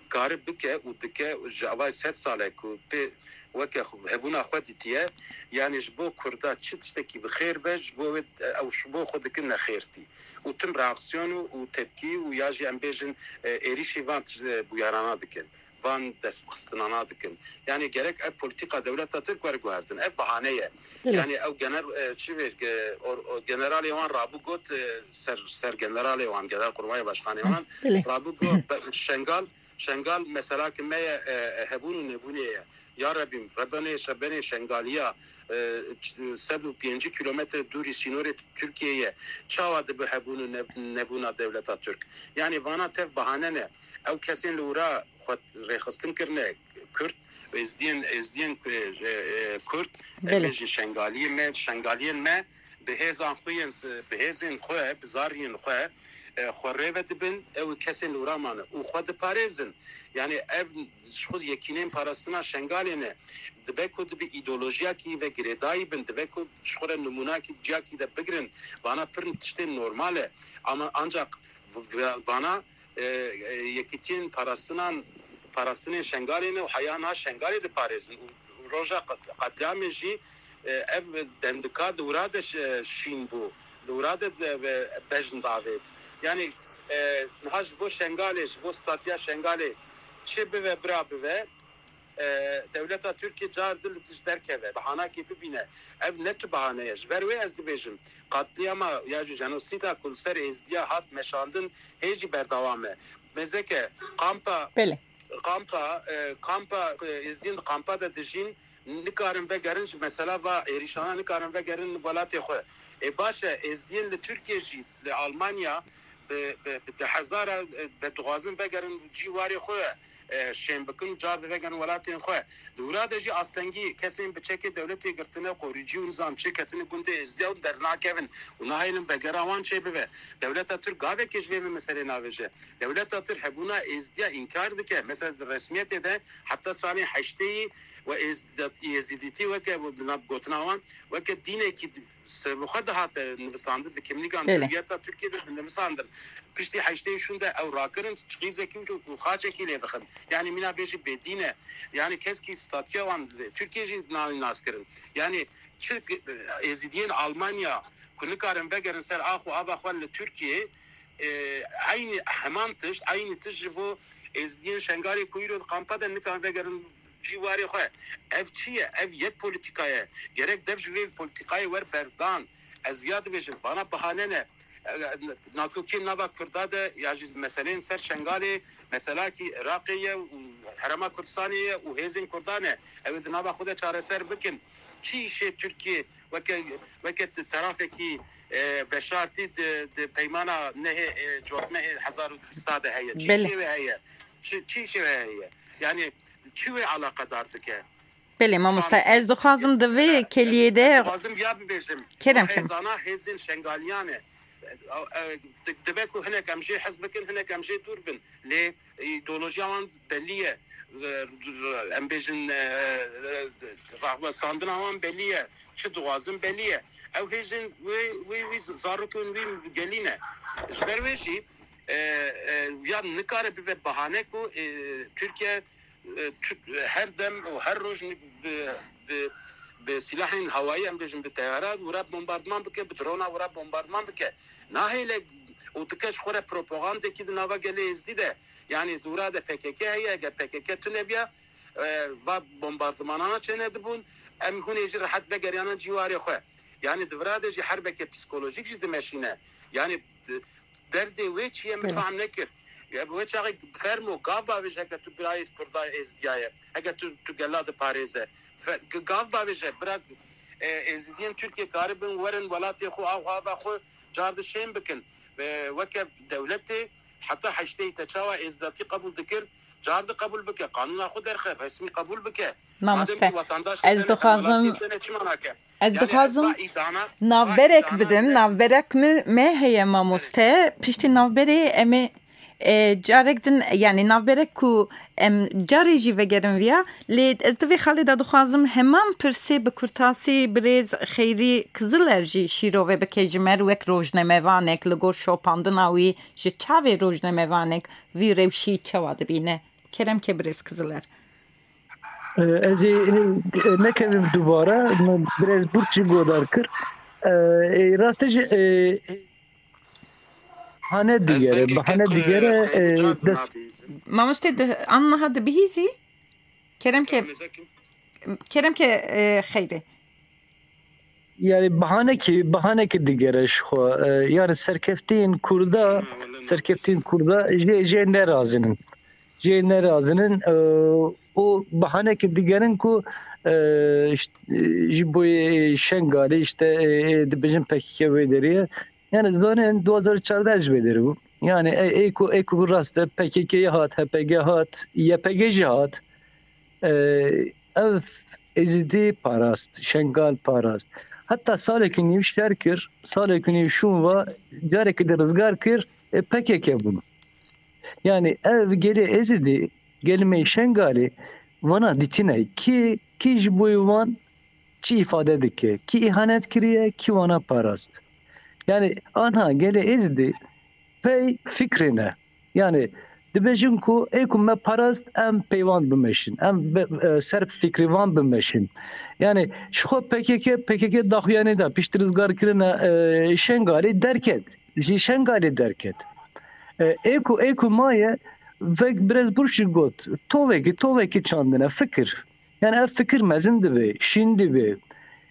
kare bike û dike ji avay sed sal e ku pê weke xwe, hebûna xwe dîtiye, yani ji bo Kurda çi tiştekî bi xêr be, ji bo wê, ew ji bo xwe dikin nexêrtî. Û tim reaksiyon û, û tepkî û ya jî em bêjin, e, êrîşî van, e, bûyerana dikin. Van destbixistinana dikin. Yani gerek ev polîtîka dewleta Tirk were guhertin. Ev bahane ye. Belê. Yani ew gener-, e, çi vê, e, or-, o-, generalê wan rabû got, e, ser, ser generalê wan, Genelkurmay Başkanê wan, Belê. rabû got, be-, Şengal, Şengal meselakê me ye, e, e, hebûn û nebûnê ye. Ya Rebî, rebenê, şebenê Şengaliya, e, ç-, sed û pêncî kilometre dûrî sînorê Tirkiyê ye. Çawa dibe hebûn û ne-, nebûna dewleta Tirk? Yani vana tev bahane ne. Ew kesên li wira xwe rêxistin kirine Kurd, Êzdiyên, Êzdiyên, e, e, Kurd, Belê. em bêjin Şengaliyê me, Şengaliyên me, bi hêzan xwe yên, bi hêzên xwe, bi zariyên xwe, e, xwe rê ve dibin, ew kesên li wira mane û xwe diparêzin. Yani ev ji xwe yekînên parastina Şengalê ne. Dibe ku dibi îdeolojiyakî ve girêdayî bin, dibe ku ji xwe re nimûnakî ciyakî de bigirin. Vana pir tiştên normal e. Ama ancak v-, v-, vana, e, e, yekîtiyên parastinan, parastinên Şengalê ne û heya niha Şengalê diparêzin. Û roja qet-, qetlîamê jî, e, ev dendika di wira de ş-, şîn bû. Di wira de, e, bejn davêt. Yani, e, niha ji bo Şengalê, ji bo statiya Şengalê çi bive, bira bive, e, dewleta Tirkiyê car di li tişt derkeve, bahanakê bibîne. Ev ne tu bahane ye. Ji ber wê ez dibêjim, qetlîama ya jî jenosîda ku li ser Êzdiya hat meşandin, hê jî berdewam e. Mêzeke kampa, Belê. kampa, e, kampa, e, Êzdiyên di kampa de dijîn, nikarin vegerin, ji mesela va êrîşana nikarin vegerin welatê xwe. Ê baş e, Êzdiyên li Tirkiye jî, li Almanya, bi, bi, bi di hezara, e, be dixwazin vegerin cî warê xwe, e, şên bikin û car divegerin welatên xwe. Di wira de jî astengî kesên bi çekê dewletê girtine, qorîcî û nizam çê ketine gundê Êzdiya û dernakevin û nahêlin vegera wan çêbibe. Dewleta Tirk gavekê ji vê meselê navêje. Dewleta Tirk hebûna Êzdiya înkar dike. Mesela di resmiyetê de heta salên heştêyî we Êzd-, Êzidîtî weke, bi nav gotina wan, weke dînekî di-, ser bi xwe dihate nivisandin, di kimlîgan Belê. hewiyeta Tirkiyê de dinivisandin. Piştî heştê şûn de ew rakirin, çixîzekî û xaçekî lê dixin. Yani mîna bêjî bêdîn e. Yani keskî statûya wan li Tirkiye jî nayên naskirin. Yani çi Êzidiyên Almanya ku nikarin vegerin ser ax û ava xwe li Tirkiye, e, eynî heman tişt, eynî tişt ji bo Êzidiyên Şengalê ku îro di kampa de nikarin vegerin cî warê xwe. Ev çi ye? Ev yek polîtîka ye. Gerek dev ji vê polîtîkayê wer berdan. Ez ya dibêjim, bana bahane ne. E, nakokiyên nava Kurda de ya jî meseleyên ser Şengalê, meselakî Iraqê ye û Herêma Kurdistanê ye û hêzên Kurdan e. Ew ê di nava xwe de çareser bikin. Çi îşê Tirkiye weke, weke t-, tarafekî, e, veşartî di, di peymana nehê, e, cotmehê hezar û bîsta de heye? Çi Belê. Îşê wê heye? Çi, çi îşê wê heye? Yani çi wê alaqedar dike? Belê mamosta, ez dixwazim di vê keliyê de Dixwazim ya bibêjim. Kerem Bu kin. Hêzana hêzên Şengaliyan e. E, e, di-, dibe ku hinek em jê hez bikin, hinek em jê dûr bin. Lê îdeolojiya wan belî ye. Em bêjin, e, e, rahwestandina wan belî ye. Çi dixwazin belî ye. Ew hêjin wê, wê, wî zarokên wî gelî ne. Ji ber wê jî, e, e, ya nikare bibe bahane ku, e, Tirkiye, e, tu-, her dem û her roj bi, bi, bi silahên hewayî, em bêjin bi teyara wira bombardiman bike, bi drona wira bombardiman bike. Nahêle û dike ji xwe re propagandekî di nava gelê Êzdî de. Yani zûra de P K K heye, eger P K K tune biya, e, va bombardimanana çê nedibûn, em hûn ê jî rehet vegeriyana cîwarê xwe. Yani di vira de jî herbeke psîkolojîk jî dimeşîne. Yani d-, derdê wê çi ye min Belê. fehm nekir. Ya bi wê çaxê fermo gav bavêje heke tu birayê Kurda Êzdiya ye. Heke tu, tu gela diparêze. Fe-, g-, gav bavêje, bira, E, Êzidiyên Tirkiyê karibin werin welatê xwe, av ava xwe car di şên bikin. E, weke dewletê heta heştê te çawa êzidatî qebûl dikir, car di qebûl bike, qanûna xwe derxe, resmî qebûl bike. Mamoste, Madem ki vatandaş ez dene, dixwazim, welatiyê dene çima nake? Ez Yani, dixwazim ez ba îdana, navberek ba îdana bidim, bile. Navberek mi, me heye mamoste. Piştî navberê em ê, e, carek din, yani navberek ku em carê jî vegerin viya, lê ez di vê xalê de dixwazim heman pirsê bi kurtasî birêz Xeyrî Kiziler jî şîrove bike ji me re wek rojnamevanek, li gor şopandina wî ji çavê rojnamevanek vî rewşî çawa dibîne? Kerem ke birêz Kiziler. E, ez ê, e, nekevim dubare, min birêz Burç jî godar kir. E, e, rastê jî, e, e, bahane digere, bahane digere, e, dest Mamoste, di, an niha dibihîzî? Kerem ke, kerem ke, e, xeyrê. Yani bahanekî, bahanekî digere ji xwe. E, yani serkeftiyên Kurda, serkeftiyên Kurda jê, jê nerazinin. Jê nerazinin. E, û bahanekî digerin ku, e, işte, e, ji bo yê Şengalê işte, e, e, dibêjin P K K wê derê ye. Yani zanin du hazar çardeh ji wê derê bû. Yani ê, ê ku, ê ku rast e, P K K hat, H P G hat, Y P G jî hat. E, ev Êzidî parast, Şengal parast. Heta salekî nîv şer kir, salekî nîv şûn va, carekî de rizgar kir, e, P K K bûn. Yani ev gelê Êzidî, gelê me Şengalê, vana dîtine kî, kî ji bo wan çi îfade dike, kî îhanet kiriye, kî wana parast. Yani anha gelê Êzidî pey fikrê ne. Yani dibêjin ku ê ku me parast em peywan bimeşin, em bi, e, ser fikrê wan bimeşin. Yani ji xwe P K K, P K K daxuyanî da piştî rizgarkirina, e, Şengalê derket. Ji Şengalê derket. E, ê ku, ê ku maye, vek birêz Burç jî got, tovekî, tovekî çandine fikir. Yani ev fikir mezin dibe, şîn dibe.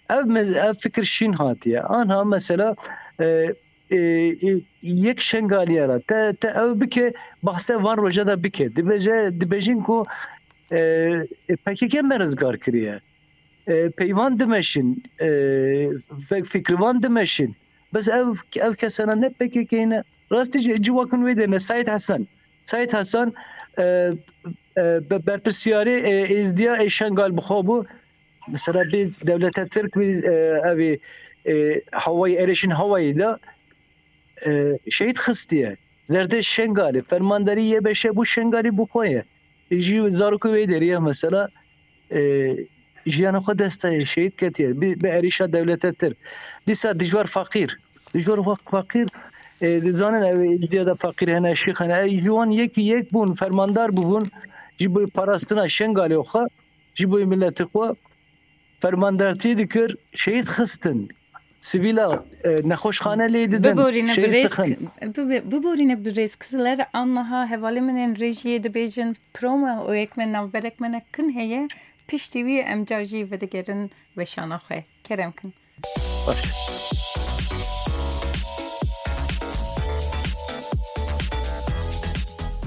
Ev mez-, ev fikir şîn hatiye. Anha mesela, e, e, e, yek Şengaliye ra te, te ew bike, bahse van roja da bike. Dibêje, dibêjin ku, e, e, P K K me rizgar kiriye. E, peyvan dimeşin, e, fe-, fikrivan dimeşin. Bes ev, ev kesana ne P K K ne. Rastî jî ciwakin wê de ne. Said Hasan. Said Hasan, e, e, be-, berpirsiyarê, e, êzdiya ê Şengal bi xwe bû. Mesela bir dewlete Tirk bir, e, evi, e, havayı, erişin havayı da, e, şehit xistiye. Zerdê Şengalî, fermandarî Y B Ş bû Şengalî bi xwe ye. Ji zarokê wê derê ye mesela, e, jiyana xwe dest daye, şehîd ketiye. Bi, bi erişa dewlete Tirk. Dîsa dijwar faqîr. Dijwar fa-, faqîr, e, dizanin ew êzdiya de faqîr hene, şîx hene. E, ji wan yekî yek bûn, fermandar bûbûn. Ji bo parastina Şengalê xwe, ji bo miletê xwe fermandartî dikir, şehîd xistin. Sivîla, e, nexweşxane lê didin, Biborîne şehîd birêz, dixin. Bibe-, biborîne birêz Kiziler, annaha hevalê min ên rejiyê dibêjin, promo û yek me navberek me ne kin heye, piştî wî em car jî vedigerin weşana xwe. Kerem kin. Baş.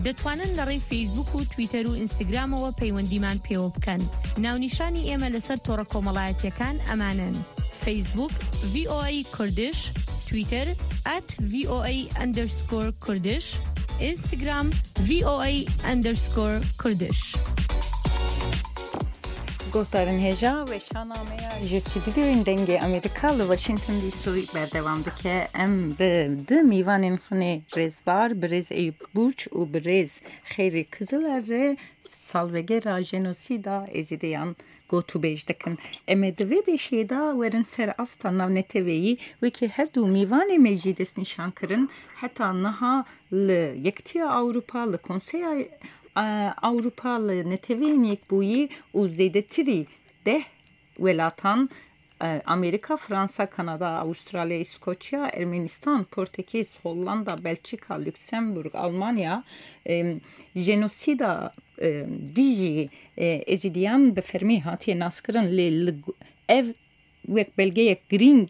دەتوانن لە ڕێی فەیسبوک و تویتەر و ئینستاگرامەوە پەیوەندیمان پێوە بکەن. ناونیشانی ئێمە لەسەر تۆڕە کۆمەڵایەتیەکان ئەمانەن: فەیسبوک، V O A Kurdish، تویتەر، at V O A underscore Kurdish، ئینستاگرام، V O A underscore Kurdish. Guhdarên hêja, weşana me ya ji stûdyoyên Dengê Amerîka li Washington D C berdewam dike. Em bi du mîvanên xwe nê rêzdar, birêz Eyûp Burç û birêz Xeyrî Kiziler re salvegera jenosîda Êzîdiyan gotûbêj dikin. Em ê di vê beşê de werin ser asta navneteweyî, wekî her du mîvanê me jî destnîşan kirin, heta niha li Yekitiya Ewropa, li Konseya, e, Ewropa, li Neteweyên Yekbûyî û zêdetirî deh welatan, e, Amerîka, Fransa, Kanada, Avustralya, Îskoçya, Ermenistan, Portekîz, Hollanda, Belçîka, Luksemburg, Almanya, e, jenosîda, e, dijî, e, Êzîdiyan bi fermî hatiye naskirin, lê li gu-, ev wek belgeyek girîng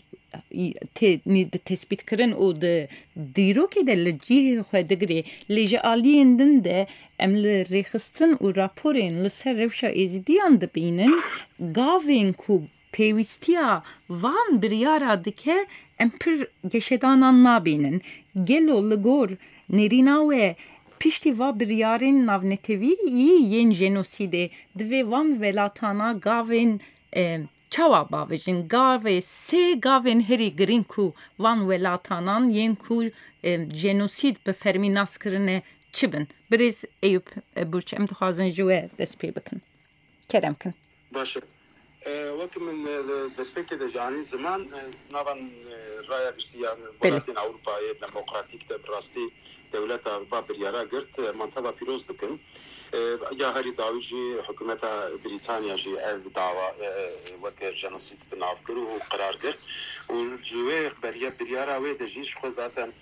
tê nî di tespîtkirin û di dîrokê de li cihê xwe digirê. Lê ji aliyên din de em li rêxistin û raporên li ser rewşa Êzîdiyan dibînin, gavên ku Pêwîstiya van biryara dike em pir geşedanan nabînin. Gelo li gor nêrîna we piştî va biryarên navnetewî yî yên jenosîdê divê van welatana gavên, e, çawa bavêjin? Gavê sê gavên herî girîng ku van welatanan yên ku, e, jenosîd bi fermî nas kirine çi bin? Birêz Eyûp, e, Burç, em dixwazin ji we dest pê bikin. Kerem kin. Baş e. E, wek min, e, li destpêkê de ji anî ziman, e, nava, e, raya giştî ya Belê. Welatên Ewropayê Demokratîk de bi rastî dewleta Ewropa biryara girt, e, manteva pîroz dikin. E, ya herî dawî jî hikûmeta Brîtanya jî ev dawa, e, weke jenosîd bi nav kir û qerar girt. Û ji wê beriya biryara wê de jî ji xwe zaten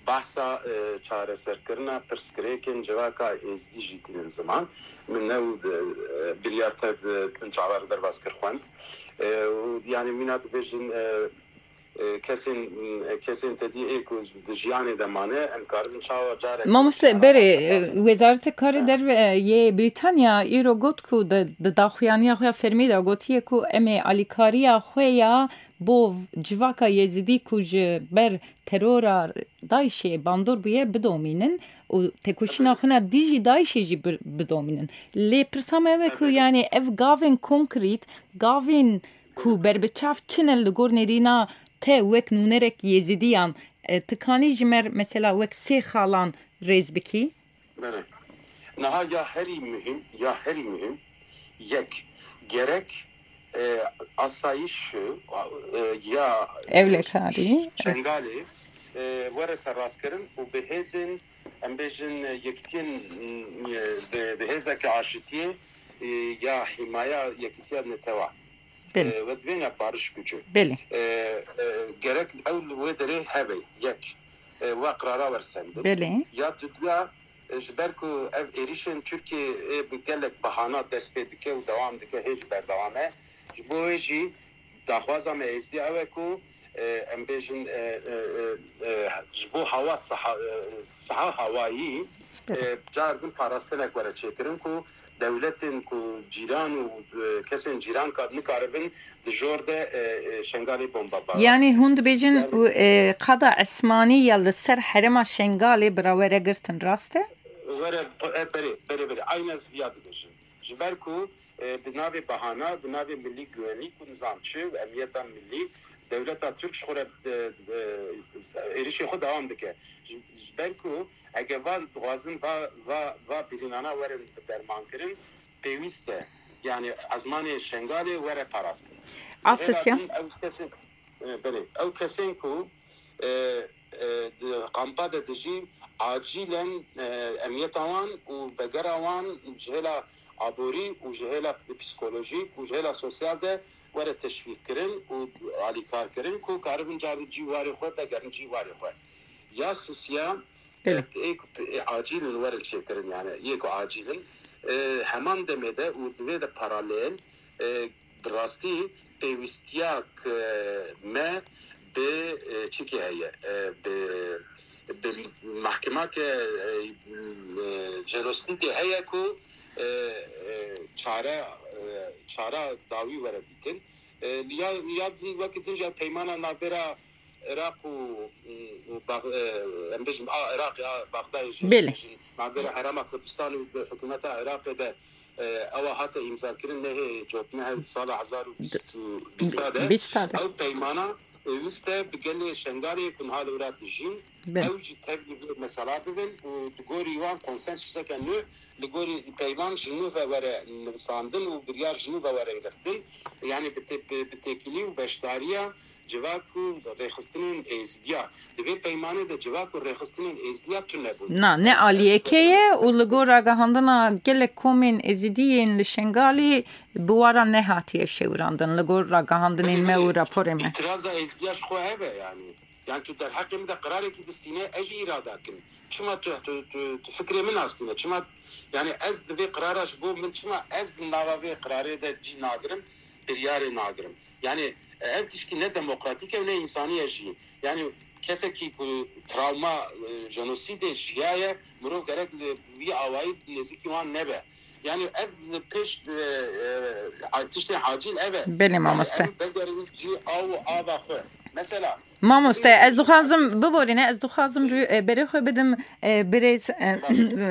Behsa, e, çareserkirina pirsgirêkên civaka êzdî jî tînin ziman. Min new, e, biryar tev, e, min çavar derbas kir xwend. E, û, yanî, mîna dibêjin, e, e, kesên, e, kesên tedî ê ku di jiyanê de mane, em karibin çawa carek Mamoste, berê, e, Wezareta Karê Derve, e, yê Brîtanya îro got ku di, di daxuyaniya xwe ya fermî de gotiye ku em ê alîkariya xwe ya bo civaka Yezidî ku ji ber terora DAIŞê bandor bûye bidomînin û tekoşîna xwe na dijî DAIŞê jî bir-, bidomînin. Lê pirsa me ew e ku, yanî, ev gavên konkrît, gavên ku berbiçav çin e li gor nêrîna te wek nûnerek Yêzidiyan, e, tu kanî ji me mesela wek sê xalan rêz bikî? Belê. Niha ya herî muhîm, ya herî muhîm, yek, gerek, e, asayîş, e, ya, e, Ewlekarî. Şengalê, e, were serrastkirin û bi hêzên, em bêjin, e, yekitiyên, e, bi, bi hêzeke aşitiyê, e, ya hîmaya yekitiya netewa. Belê. E, we divê ne barış gücü. Belê. E, e, gerek ew li wê derê hebe, yek. E, we qirara wersendin. Belê. Ya dudiya, e, ji ber ku ev êrîşên Tirkiyeyê bi gelek bahana dest pê dike û dewam dike, hê jî berdewam e. Ji bo wê jî daxwaza me êzdî ew e ku, e, em bêjin, e, e, e, e, ji bo hawa siha, e, siha hawayî, Belê. E, car din parastinek were çêkirin ku dewletên ku cîran û, e, kesên cîran ka-, nikaribin di jor de, e, e, Şengalê bomba ba. Yanî hûn dibêjin Yani û, e, qada esmanî ya li ser herêma Şengalê bi re were girtin, rast e? Were, e, berê, berê, berê. Aynen ez viya dibêjim. Ji ber ku, e, bi navê bahana, bi navê milî güvenlîk û nizam çi û emniyeta milî, dewleta Tirk ji xwe re, e, e, êrişê xwe dewam dike. Ji, ji ber ku eger van dixwazin va, va, va birînana werin dermankirin, pêwîst e, yani ezmanê Şengalê were parastin. Asisya. Hêla din ew kesên, e, belê, ew kesên ku, e, e, di kampa de dijîn, acilen, e, emniyeta wan û vegera wan ji hêla aborî û ji hêla psîkolojîk û ji hêla sosyal de were teşvîqkirin û alîkarkirin ku karibin car di cî warê xwe vegerin cî warê xwe. Ya sisiya, Belê. E, ê ku, ê acîl in werin çêkirin, yani yê ku acîl in. E, heman demê de û di vê de paralel, e, bi rastî pêwîstiya ke me bi, e, çikê heye, e, bi, bi mehkimake, e, e, jenosîdê heye ku, e, e, çare, e, çara dawî were dîtin. E, ya, ya din wekî din jî peymana navbera Iraq û, û Bax-, e, em bêjin, a Iraqê, a Baxdayê jî, Belê. Em bêjin, navbera Herêma Kurdistan û hikûmeta Iraqê de, e, ewa hate îmzakirin, nehê cotine her sala hezar û bîst û bîsta de. Bîsta de. Ew peymana pêwîst e bi gelê Şengalê ku niha li wira dijîn, Belê. Ew jî tevlî vê mesela bibin û di gorî wan konsensuseke nû, li gorî peyman ji nû ve were nivisandin û biryar ji nû ve were girtin. Yani bi te-, bi, bi têkilî û beşdariya civak û rêxistinên êzidiya. Di vê peymanê de civak û rêxistinên êzidiya tune bûn. Na, ne aliyekê ye û li gor ragihandina gelek komên êzidiyên li Şengalê bi wara nehatiye şewirandin. Li gor ragihandinên me û raporê me. Îtiraza êzidiya ji xwe hebe yani. Yani tu derheqê min de qirarekî distîne, ez jî îrada kim. Çima tu, tu, tu, tu fikrê min astîne? Çima, yani ez di vê qirara ji bo min, çima ez di nava vê qirarê de cî nagirim, biryarê nagirim? Yani ev tişkî ne demokratîk e û ne însanî ye jî. Yani kesekî ku travma, e, jenosîdê jiyaye, mirov gerek li vî awayî nêzîkî wan nebe. Yani ev pêş, e, e, tiştê acil ev e. Belê mamoste. Ev vegerin cî av û ava xwe. Mesela Mamoste, ez dixwazim biborîne, ez dixwazim rû-, e, berê xwe bidim, e, birêz, e,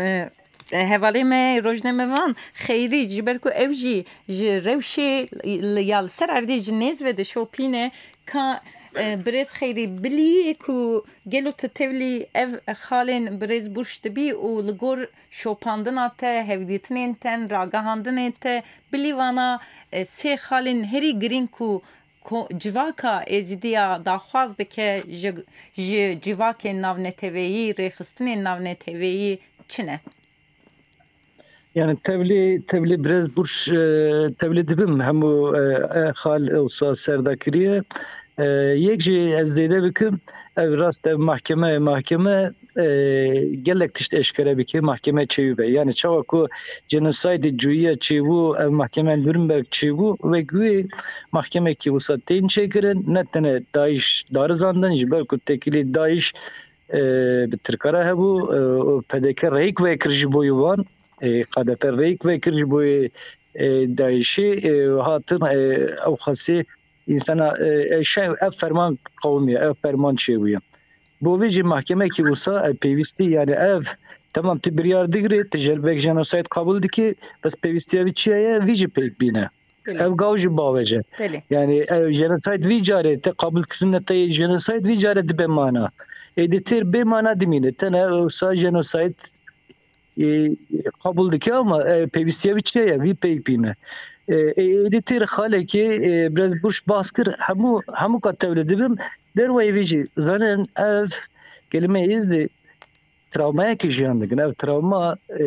e, e, hevalê me, rojname van, Xeyrî, ji ber ku ew jî ji rewşê li, ya li ser erdê ji nêz ve dişopîne, ka, e, birêz Xeyrî, bilî ku gelo tu tevlî ev xalên birêz Burç dibî û li gor şopandina te, hevdîtinên te, ragihandinên te, bilî vana, e, sê xalên herî girîng ku ko-, civaka Êzidiya daxwaz dike ji, ji civakên navneteweyî, rêxistinên navneteweyî çi ne? Yani tevlî, tevlî birêz Burç, e, tevlî dibim hemû, e, e, xal wisa ser de kiriye. E, yek jî ez zêde bikim, ev rast ev mahkeme, mahkeme, e, gelek tişt eşkere bike, mahkeme çêwî be. Yani çawa ku genosaydê cuyiya çêbû, ev mahkeme Nürnberg çêbû, wek wê mahkemekî wisa tên çêkirin, ne tene DAIŞ darizandin, ji ber ku têkilî DAIŞ, e, bi Tirka re hebû, e, û P D K rêyik vekir ji bo wan, e, K D P rêyik vekir ji bo, e, DAIŞê, e, hatin, e, ew xasê însana, e, e, şey, ev ferman qewimiye, ev ferman çêbûye. Bo vê jî mahkemekî wisa, e, pêwîstî, yani ev, temam tu biryar digirê, tu jel vek jenosayd qabûl dikî, bes pêwîstiya vî çi ye, vî jî pêk bîne. Belê. Ev gaw jî bawece. Belê. Yani ev jenosayd vî carê te qabûl kirine te jenosayd vî carê dibe mana. Êdî têr bê mana dimîne. Tene wisa jenosayd, e, qabûl dike ama, e, pêwîstiya vî çi ye? Vî pêk bîne. E, e, êdî têr xalekê, e, birêz Burç bahs kir, hemû, hemû ka tevlî dibim, derweyî vî jî zanin ev kelîme Êzdî travmayekî jiyan dikin. Ev travma, e,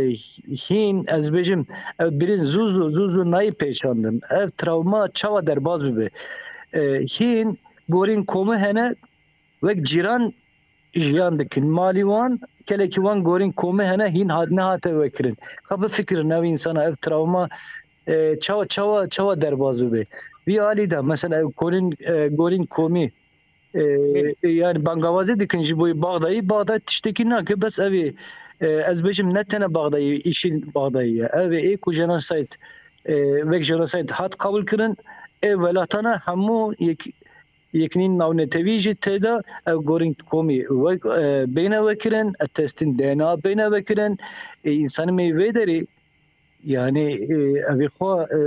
hîn, ez bêjim, ev birîn zû zû, zû zû nayê pêçandin. Ev travma çawa derbas bibe? E, hîn gorîn komî hene, wek cîran jiyan dikin. Malî wan, kelekî wan gorîn komî hene, hîn hat, nehate vekirin. Ka bifikirin ev însana, ev travma, e, çawa, çawa, çawa derbas bibe? Vî alî de, mesela ev gorîn, e, gorîn komî, e, e, yani bangawazê dikin ji bo Baxdayî. Baxday tiştekî nake, bes ev ê, e, ez bêjim ne tene Baxdayî, îşîn Baxdayî ye. Ev ê, ê ku jenosayd, e, wek jenosayd hat qabûl kirin, ê welatana hemû yek, yekînîn navnetewî jî tê de ev gorîn komî wek, e, bêne vekirin, e, testîn D N A bêne vekirin, e, însanê me vê derê, yani, e, evî xwe, e,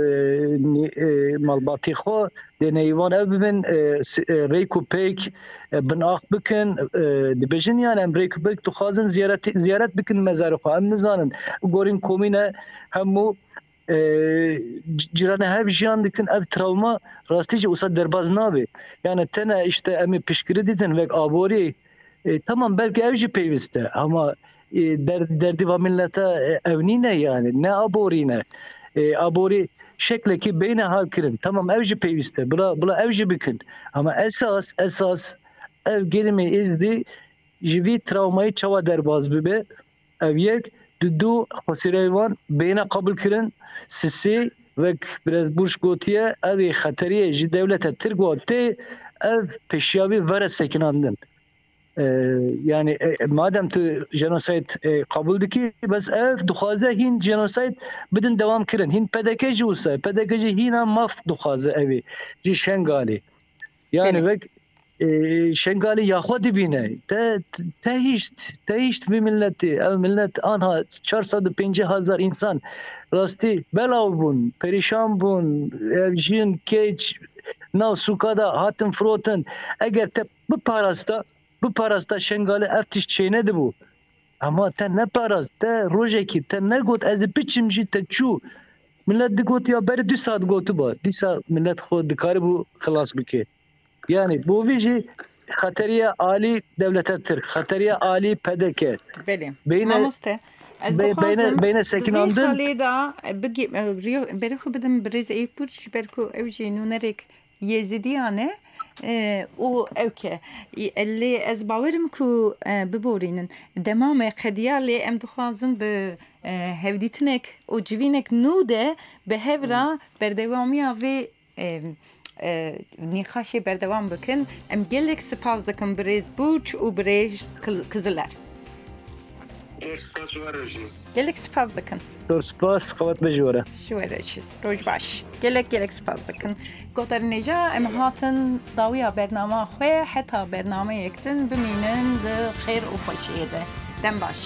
nî-, e, malbatî xwe dêneyî wan ev bibin, e, s-, e, rêk û pêk, e, binax bikin, e, dibêjin, yani, em rêk û pêk dixwazin ziyaret, ziyaret bikin mezarê xwe. Em nizanin, gorîn komî ne hemû, e, c-, cîranê hev jiyan dikin, ev travma rastî jî wisa derbas nabe. Yani, tene işte em ê piştgirî dîtin, wek aborî, e, tamam, belkî ev jî pêwîst e, ama, e, der-, derdî va milete, e, ev nîne yani, ne aborî ne. E, aborî şeklekî beyne hal kirin. Tamam, ev jî pêwîst e. Bila, bila ev jî bikin. Ama esas, esas ev gelîmê Êzdî ji vî travmayî çawa derbas bibe? Ev yek, du, du, xwesîreyê wan beyne qebûl kirin, sisê, wek birêz Burç gotiye, ev ê xeteriyê ji dewlete Tirk wa tê, ev pêşiya vî vere sekinandin. E, yani, e, madem tu jenosayd, e, qebûl dikî, bes ev dixwaze hîn jenosayd bidin dewam kirin. Hîn P D K jî wisa, P D K jî hîna maf dixwaze ev ê, ji Şengalê. Yani, belê, wek, e, Şengalê ya xwe dibîne. Te, te hişt, te hişt vî milletê. Ev millet anha çar sed û pêncî hezar însan rastî belav bûn, perîşan bûn, ev jin, keç, nav sûka de hatin firotin. Eger te biparasta, biparasta Şengalê ev tişt çênedibû. Ama te neparast, te rojekî, te negot ez ê biçim jî, te çû. Millet digot ya berê du saet gotiba. Dîsa millet xwe dikaribû xilas bike. Yani bo vî jî xeteriya alî dewleta Tirk, xeteriya alî P D K. Belê. Beyne, mamoste, ez be-, dixwazim beyne, beyne sekinandin. Vê xalê de, e, bigê-, e, riyo-, berê xwe bidim birêz Eyüp Burç, ji ber ku ew jî nûnerek Yêzidiyan e, e, û ew ke. E, lê ez bawerim ku, e, biborînin. Dema me qediya lê em dixwazin bi, e, hevdîtinek û civînek nû de bi hev re berdewamiya vê, e, e, nîqaşê berdewam bikin. Em gelek spas dikin birêz Burç û birêz Kil-, Kiziler. Zor spas ji we re jî. Gelek spas dikin. Zor spas, qewet be ji we re. Ji we re jî. Roj baş. Gelek gelek spas dikin. Guhdarên hêja, em hatin dawiya bernama xwe, heta bernameyek din bimînin di xêr û xweşiyê de. Dem baş.